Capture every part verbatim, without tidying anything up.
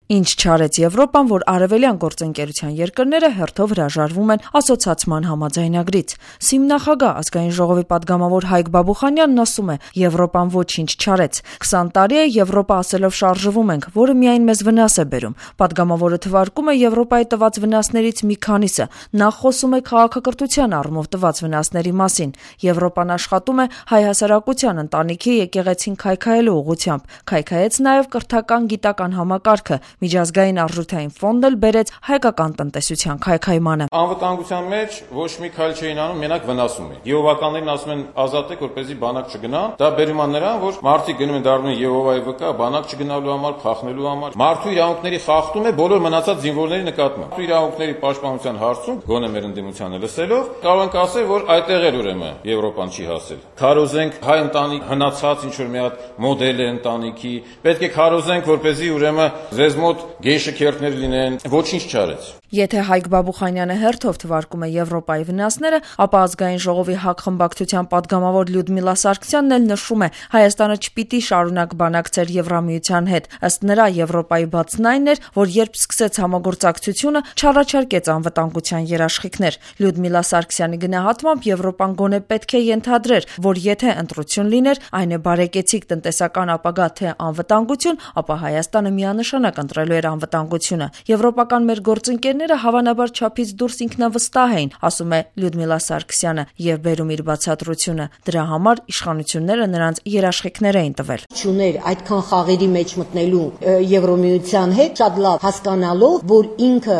Ինչ չարեց Եվրոպան, որ արևելյան գործընկերության երկրները հերթով հրաժարվում են ասոցացման համաձայնագրից։ ՍԻՄ նախագահ ազգային ժողովի պատգամավոր Հայկ Բաբուխանյանն ասում է՝ Եվրոպան ոչինչ չարեց։ քսան տարի է Եվրոպա ասելով շարժվում ենք, որը միայն մեզ վնաս է բերում։ Պատգամավորը թվարկում է Եվրոպայի տված վնասներից մի քանիսը։ Նա խոսում է քաղաքակրթության առումով տված վնասների մասին։ Եվրոպան աշխատում է հայ հասարակության ընտանիքի եկեղեցին քայքայելու ուղղությամբ։ Քայքայեց նաև կրթական գիտական համակարգը։ Միջազգային արժութային ֆոնդն էլ բերեց հայկական տնտեսության քայքայմանը։ Անվտանգության մեջ ոչ մի քայլ չէին անում, մենակ վնասում էին։ Եհովականներին ասում են ազատեք, որպեսզի բանակ չգնա։ Դա բերում է նրան, որ մարդիկ գնում են դառնում են Եհովայի վկա, բանակ չգնալու համար, փախնելու համար։ Մարդու իրավունքների խախտում է բոլոր մնացած զինվորների նկատմամբ։ Մարդու իրավունքների պաշտպանության հարցում գոնե մեր ընդդիմությանը լսելով կարող ենք ասել, որ այդտեղ էլ ուրեմն Եվրոպան չի հասել։ Քարոզենք հայ ընտանիք հնացած ինչ որ մի հատ մոդել է ընտանիքի, պետք է քարոզենք, որպեսզի ուրեմն ձեզ մոտ գեյ շքերթներ լինեն, ոչինչ չարեց։ Եթե Հայկ Բաբուխանյանը հերթով թվարկում է Եվրոպայի վնասները, ապա ազգային ժողովի ՀԱԿ խմբակցության պատգամավոր Լյուդմիլա Սարգսյանն էլ նշում է՝ Հայաստանը չպիտի շարունակ բանակցեր Եվրամիության հետ։ Ըստ նրա, Եվրոպայի բացն այն էր, որ երբ սկսեց համագործակցությունը, չառաջարկեց անվտանգության երաշխիքներ։ Լյուդմիլա Սարգսյանի գնահատմամբ Եվրոպան գոնե պետք է ենթադրեր, որ եթե ընտրություն լիներ, այն է բարեկեցիկ տնտեսական ապագա թե անվտանգություն, ապա Հայաստանը միանշանակ ընտրելու էր անվտանգությունը։ Եվրոպական մեր գործընկերները հավանաբար չափից դուրս ինքնավստահ էին, ասում է Լյուդմիլա Սարգսյանը եւ բերում իր բացատրությունը։ Դրա համար իշխանությունները նրանց երաշխիքներ էին տվել։ Չուներ այդքան խաղերի մեջ մտնելու Եվրոմիության հետ, շատ լավ հասկանալով, որ ինքը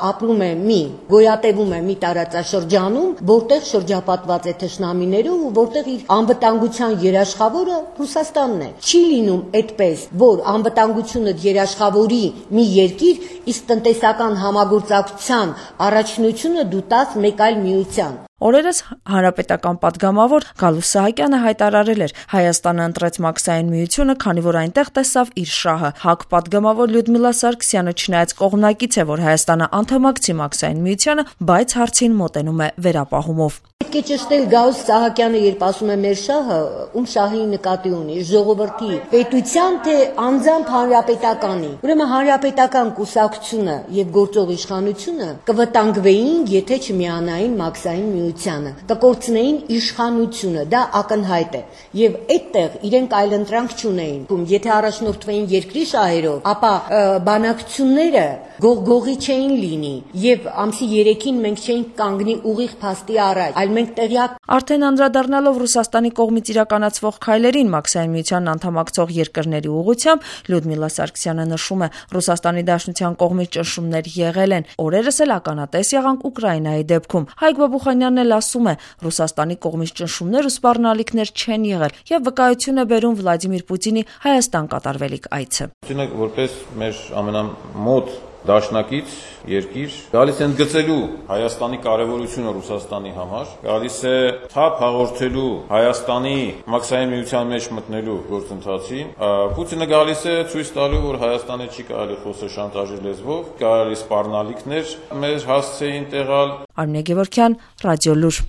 ապրում է մի գոյատևում է մի տարածաշրջանում, որտեղ շրջապատված է թշնամիներով ու որտեղ իր անվտանգության երաշխավորը Ռուսաստանն է։ Չի լինում այդպես, որ անվտանգությունը երաշխավորի մի երկիր, իսկ տնտեսական համագործակցության առաջնությունը դու տաս մեկ այլ միության։ Օրերս հանրապետական պատգամավոր Գալուստ Սահակյանը հայտարարել էր՝ Հայաստանը ընտրեց Մաքսային միությունը, քանի որ այնտեղ տեսավ իր շահը։ ՀԱԿ պատգամավոր Լյուդմիլա Սարգսյանը չնայած կողմնակից է, որ Հայաստանը անդամակցի Մաքսային միությանը, բայց հարցին մոտենում է վերապահումով։ Պետք է ճշտել Գալուստ Սահակյանը, երբ ասում է մեր շահը, ում շահի նկատի ունի, ժողովրդի, պետության, թե անձամբ հանրապետականի։ Ուրեմն հանրապետական կուսակցությունը եւ գործող իշխանությունը կվտանգվեին, եթե չմիանային Մաքսային միությանը, կկորցնեին իշխանությունը, դա ակնհայտ է։ Եվ այդտեղ իրենք այլընտրանք չունեին։ Եթե առաջնորդվեին երկրի շահերով, ապա բանակցությունները գողգողի չէին լինի եւ ամսի երեքին մենք չէինք կանգնի ուղիղ փաստի առաջ, այլ մենք տեղյակ։ Արդեն անդրադառնալով Ռուսաստանի կողմից իրականացվող քայլերին Մաքսային միությանն անդամակցող երկրների ուղղությամբ, Լյուդմիլա Սարգսյանը նշում է՝ Ռուսաստանի Դաշնության կողմից ճնշումներ եղել են, օրերս էլ ականատես եղանք Ուկրաինայի դեպքում։ Հայկ Բաբուխանյանն էլ ասում է՝ Ռուսաստանի կողմից ճնշումներ ու սպառնալիքներ չեն եղել եւ վկայություն է բերում Վլադիմիր Պուտինի Հայաստան կատարվելիք այցը։ Պուտինը որպես մեր ամենամոտ դաշնակից երկիր գալիս է ընդգծելու Հայաստանի կարևորությունը Ռուսաստանի համար, գալիս է թափ հաղորդելու Հայաստանի Մաքսային միության մեջ մտնելու գործընթացին։ Պուտինը գալիս է ցույց տալու, որ Հայաստանը չի կարելի խոսել շանտաժի լեզվով, կարելի սպառնալիքներ մեր հասցեին տեղալ։ Արմինե Գևորգյան, Ռադիոլուր։